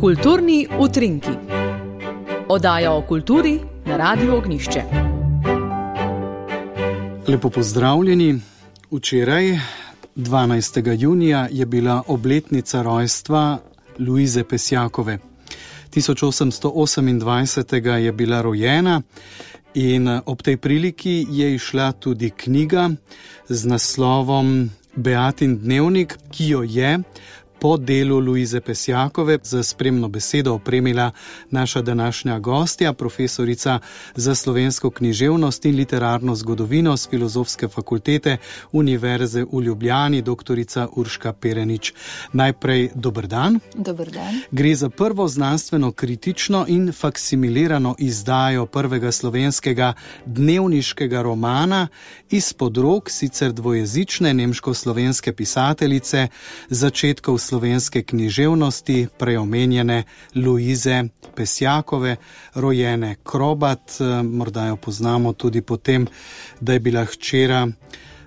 Kulturni utrinki. Oddaja o kulturi na Radiu Ognjišče. Lepo pozdravljeni. Včeraj, 12. junija, je bila obletnica rojstva Luize Pesjakove. 1828. je bila rojena in ob tej priliki je izšla tudi knjiga z naslovom Beatin dnevnik, ki jo je po delu Luize Pesjakove za spremno besedo opremila naša današnja gostja, profesorica za slovensko književnost in literarno zgodovino s Filozofske fakultete Univerze v Ljubljani, doktorica Urška Perenič. Najprej dober dan. Dober dan. Gre za prvo znanstveno kritično in faksimilirano izdajo prvega slovenskega dnevniškega romana izpod rok sicer dvojezične nemško-slovenske pisateljice začetkov slovenske književnosti, preomenjene Luize Pesjakove, rojene Krobat. Morda jo poznamo tudi po tem, da je bila hčera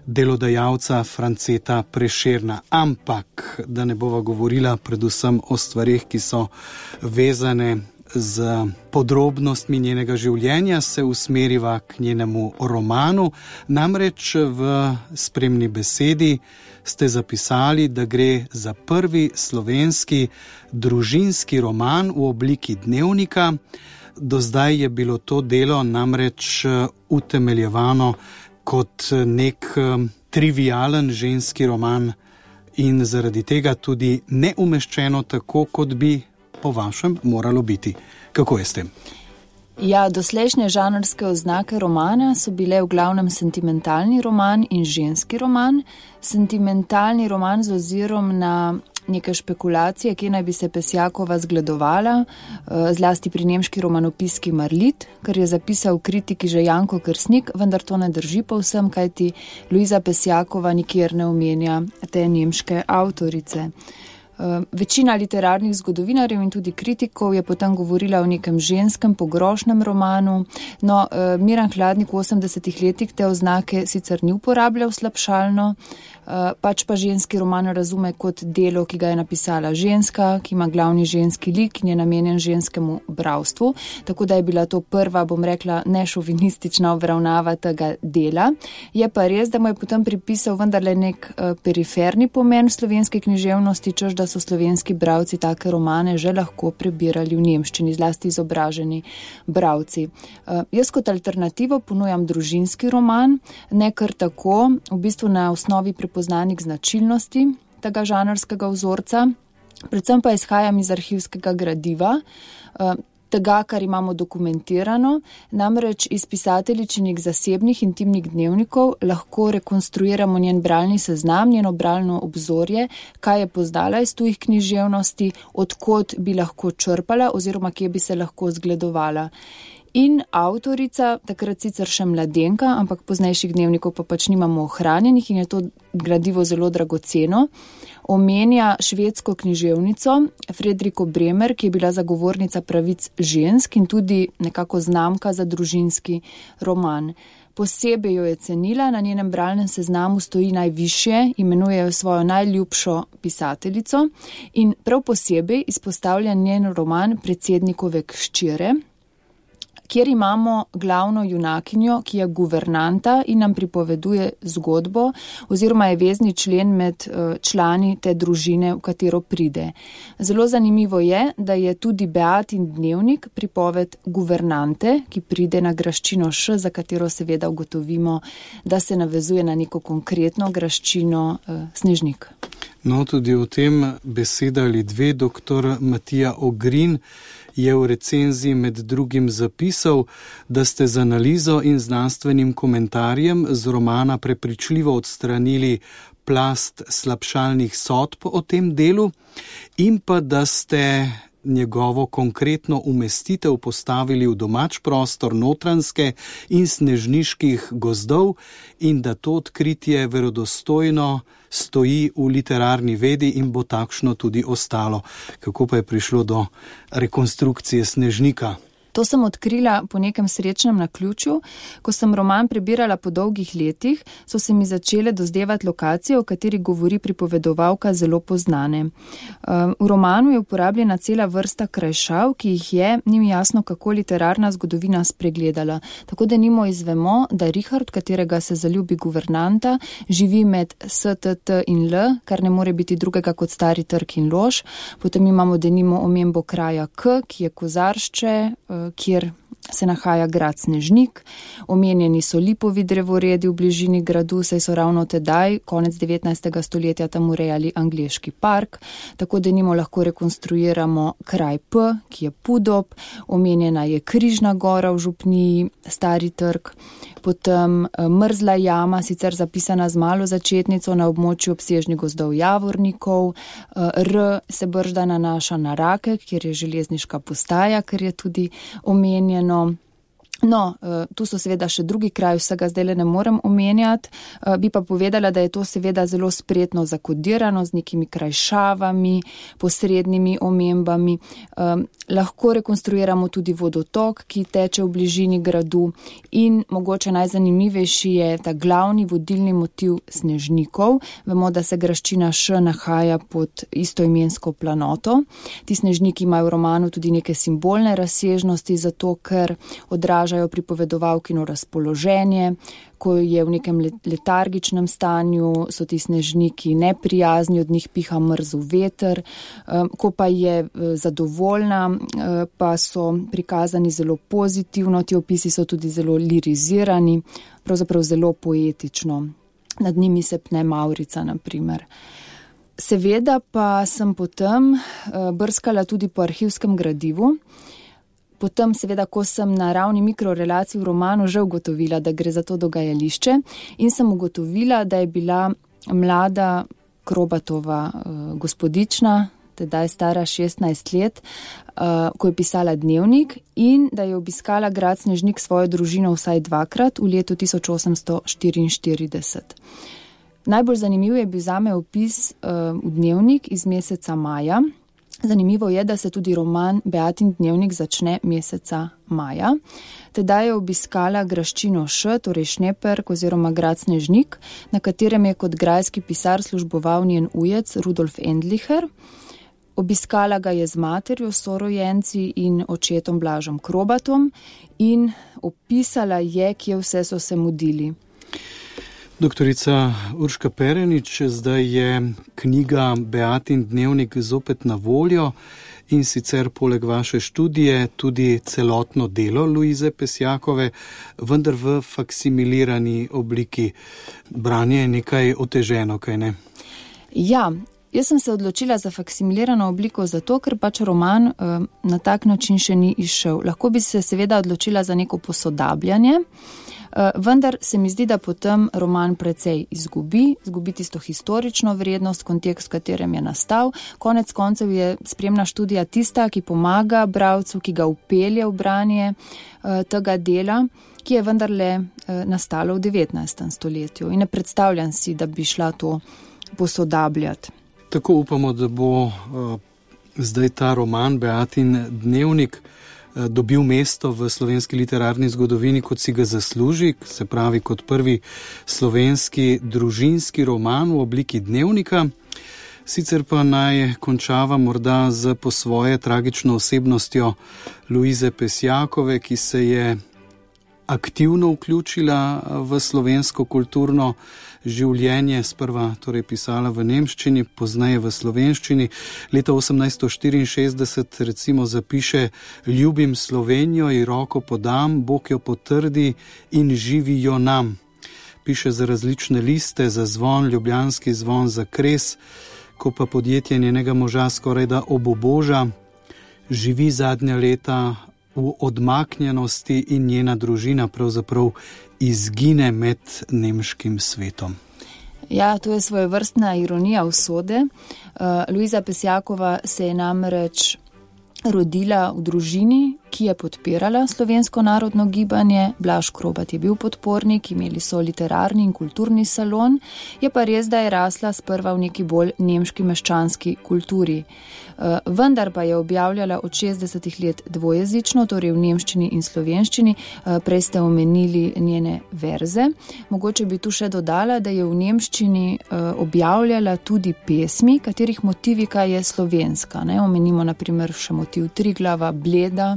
delodajalca Franceta Prešerna. Ampak, da ne bova govorila predvsem o stvarih, ki so vezane z podrobnostmi njenega življenja, se usmeriva k njenemu romanu. Namreč v spremni besedi ste zapisali, da gre za prvi slovenski družinski roman v obliki dnevnika. Do zdaj je bilo to delo namreč utemeljevano kot nek trivialen ženski roman in zaradi tega tudi neumeščeno tako, kot bi po vašem moralo biti. Kako je s tem? Ja, doslejšnje žanrske oznake romana so bile v glavnem sentimentalni roman in ženski roman. Sentimentalni roman z ozirom na neke špekulacije, kje naj bi se Pesjakova zgledovala, zlasti pri nemški romanopiski Marlit, kar je zapisal kritiki že Janko Kersnik, vendar to ne drži povsem, kajti Luiza Pesjakova nikjer ne omenja te nemške avtorice. Večina literarnih zgodovinarjev in tudi kritikov je potem govorila o nekem ženskem pogrošnem romanu, no Miran Hladnik v 80-ih letih te oznake sicer ni uporabljal slabšalno, pač pa ženski roman razume kot delo, ki ga je napisala ženska, ki ima glavni ženski lik in je namenjen ženskemu bralstvu, tako da je bila to prva, bom rekla, nešovinistična obravnava tega dela. Je pa res, da mu je potem pripisal vendarle nek periferni pomen slovenske književnosti, češ da so slovenski bralci take romane že lahko prebirali v nemščini, zlasti izobraženi bralci. Jaz kot alternativo ponujam družinski roman, ne kar tako, v bistvu na osnovi prepoznanih značilnosti tega žanrskega vzorca, predvsem pa izhajam iz arhivskega gradiva, tega, kar imamo dokumentirano, namreč iz pisateljičinih zasebnih intimnih dnevnikov lahko rekonstruiramo njen bralni seznam, njeno bralno obzorje, kaj je poznala iz tujih književnosti, odkot bi lahko črpala oziroma kje bi se lahko zgledovala. In avtorica, takrat sicer še mladenka, ampak poznejših dnevnikov pa pač nimamo ohranjenih in je to gradivo zelo dragoceno, omenja švedsko književnico Fredriko Bremer, ki je bila zagovornica pravic žensk in tudi nekako znamka za družinski roman. Posebej jo je cenila, na njenem bralnem seznamu stoji najvišje, imenuje jo svojo najljubšo pisateljico in prav posebej izpostavlja njen roman Predsednikove hčere, kjer imamo glavno junakinjo, ki je guvernanta in nam pripoveduje zgodbo oziroma je vezni člen med člani te družine, v katero pride. Zelo zanimivo je, da je tudi Beatin dnevnik pripoved guvernante, ki pride na graščino Š, za katero seveda ugotovimo, da se navezuje na neko konkretno graščino Snežnik. No, tudi o tem beseda ali dve. Doktor Matija Ogrin je v recenziji med drugim zapisal, da ste z analizo in znanstvenim komentarjem z romana prepričljivo odstranili plast slabšalnih sodb o tem delu in pa da ste njegovo konkretno umestitev postavili v domač prostor Notranjske in snežniških gozdov in da to odkritje verodostojno stoji v literarni vedi in bo takšno tudi ostalo. Kako pa je prišlo do rekonstrukcije Snežnika? To sem odkrila po nekem srečnem naključju. Ko sem roman prebirala po dolgih letih, so se mi začele dozdevati lokacije, o kateri govori pripovedovalka, zelo poznane. V romanu je uporabljena cela vrsta krajšav, ki jih je, ni mi jasno, kako literarna zgodovina spregledala. Tako da nimo izvemo, da Richard, katerega se zaljubi guvernanta, živi med STT in L, kar ne more biti drugega kot Stari trg in Lož. Potem imamo denimo omembo kraja K, ki je Kozaršče, kjer se nahaja grad Snežnik. Omenjeni so lipovi drevoredi v bližini gradu, saj so ravno tedaj, konec 19. stoletja, tam urejali angleški park. Tako denimo lahko rekonstruiramo kraj P, ki je Pudob. Omenjena je Križna gora v župniji, Stari trg. Potem Mrzla jama, sicer zapisana z malo začetnico na območju obsežnih gozdov Javornikov. R se bržda nanaša na Rakek, kjer je železniška postaja, ker je tudi omenjeno. No, tu so seveda še drugi kraji, vsega zdaj ne morem omenjati, bi pa povedala, da je to seveda zelo spretno zakodirano z nekimi krajšavami, posrednimi omembami. Lahko rekonstruiramo tudi vodotok, ki teče v bližini gradu, in mogoče najzanimivejši je ta glavni vodilni motiv Snežnikov. Vemo, da se graščina Š nahaja pod istoimensko planoto. Ti snežniki imajo v romanu tudi neke simbolne razsežnosti, zato ker odražajo pripovedovalkino razpoloženje. Ko je v nekem letargičnem stanju, so ti snežniki neprijazni, od njih piha mrzel veter. Ko pa je zadovoljna, pa so prikazani zelo pozitivno, ti opisi so tudi zelo lirizirani, pravzaprav zelo poetično. Nad njimi se pne Mavrica, na primer. Seveda pa sem potem brskala tudi po arhivskem gradivu. Potem, seveda, ko sem na ravni mikrorelacij v romanu že ugotovila, da gre za to dogajališče, in sem ugotovila, da je bila mlada Krobatova gospodična, tedaj stara 16 let, ko je pisala dnevnik, in da je obiskala grad Snežnik svojo družino vsaj dvakrat v letu 1844. Najbolj zanimiv je bil zame opis v dnevnik iz meseca maja. Zanimivo je, da se tudi roman Beatin dnevnik začne meseca maja. Tedaj je obiskala graščino Š, torej Šneperk oziroma grad Snežnik, na katerem je kot grajski pisar služboval njen ujec Rudolf Endlicher. Obiskala ga je z materjo, sorojenci in očetom Blažom Krobatom in opisala je, kje vse so se mudili. Doktorica Urška Perenič, zdaj je knjiga Beatin dnevnik zopet na voljo, in sicer poleg vaše študije tudi celotno delo Luize Pesjakove, vendar v faksimilirani obliki. Branje je nekaj oteženo, kaj ne? Ja, jaz sem se odločila za faksimilirano obliko zato, ker pač roman na tak način še ni izšel. Lahko bi se seveda odločila za neko posodabljanje, vendar se mi zdi, da potem roman precej izgubi tisto historično vrednost, kontekst, v katerem je nastal. Konec koncev je spremna študija tista, ki pomaga bralcu, ki ga vpelje v branje tega dela, ki je vendarle nastalo v 19. stoletju. In ne predstavljam si, da bi šla to posodabljati. Tako upamo, da bo zdaj ta roman Beatin dnevnik dobil mesto v slovenski literarni zgodovini, kot si ga zasluži, se pravi kot prvi slovenski družinski roman v obliki dnevnika. Sicer pa naj končava morda z po svoje tragično osebnostjo Luize Pesjakove, ki se je aktivno vključila v slovensko kulturno življenje, sprva torej pisala v nemščini, pozneje v slovenščini. Leta 1864 recimo zapiše: "Ljubim Slovenijo in roko podam, Bog jo potrdi in živi jo nam." Piše za različne liste, za Zvon, Ljubljanski zvon, za Kres, ko pa podjetje njenega moža skoraj da obuboža, živi zadnja leta v odmaknjenosti in njena družina pravzaprav izgine med nemškim svetom. Ja, to je svojevrstna ironija usode. Luiza Pesjakova se je namreč rodila v družini, ki je podpirala slovensko narodno gibanje. Blaž Krobat je bil podpornik, imeli so literarni in kulturni salon, je pa res, da je rasla sprva v neki bolj nemški meščanski kulturi. Vendar pa je objavljala od 60 let dvojezično, torej v nemščini in slovenščini. Prej ste omenili njene verze. Mogoče bi tu še dodala, da je v nemščini objavljala tudi pesmi, katerih motivika je slovenska. Omenimo na primer še motiv Triglava, Bleda.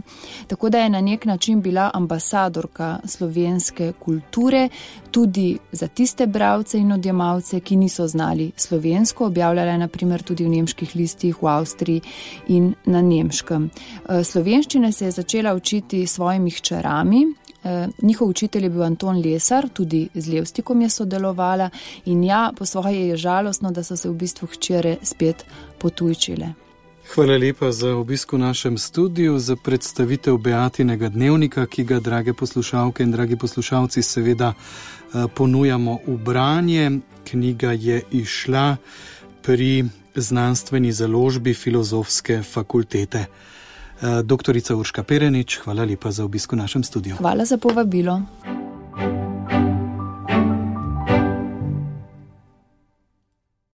Tako da je na nek način bila ambasadorka slovenske kulture tudi za tiste bralce in odjemalce, ki niso znali slovensko. Objavljala je na primer tudi v nemških listih, v Avstriji in na nemškem. Slovenščine se je začela učiti svojimi hčerami. Njihov učitelj je bil Anton Lesar, tudi z Levstikom je sodelovala in po svoje je žalostno, da so se v bistvu hčere spet potujčile. Hvala lepa za obisk v našem studiu, za predstavitev Beatinega dnevnika, ki ga, drage poslušalke in dragi poslušalci, seveda ponujamo v branje. Knjiga je izšla pri znanstveni založbi Filozofske fakultete. Doktorica Urška Perenič, hvala lepa za obisk v našem studiu. Hvala za povabilo.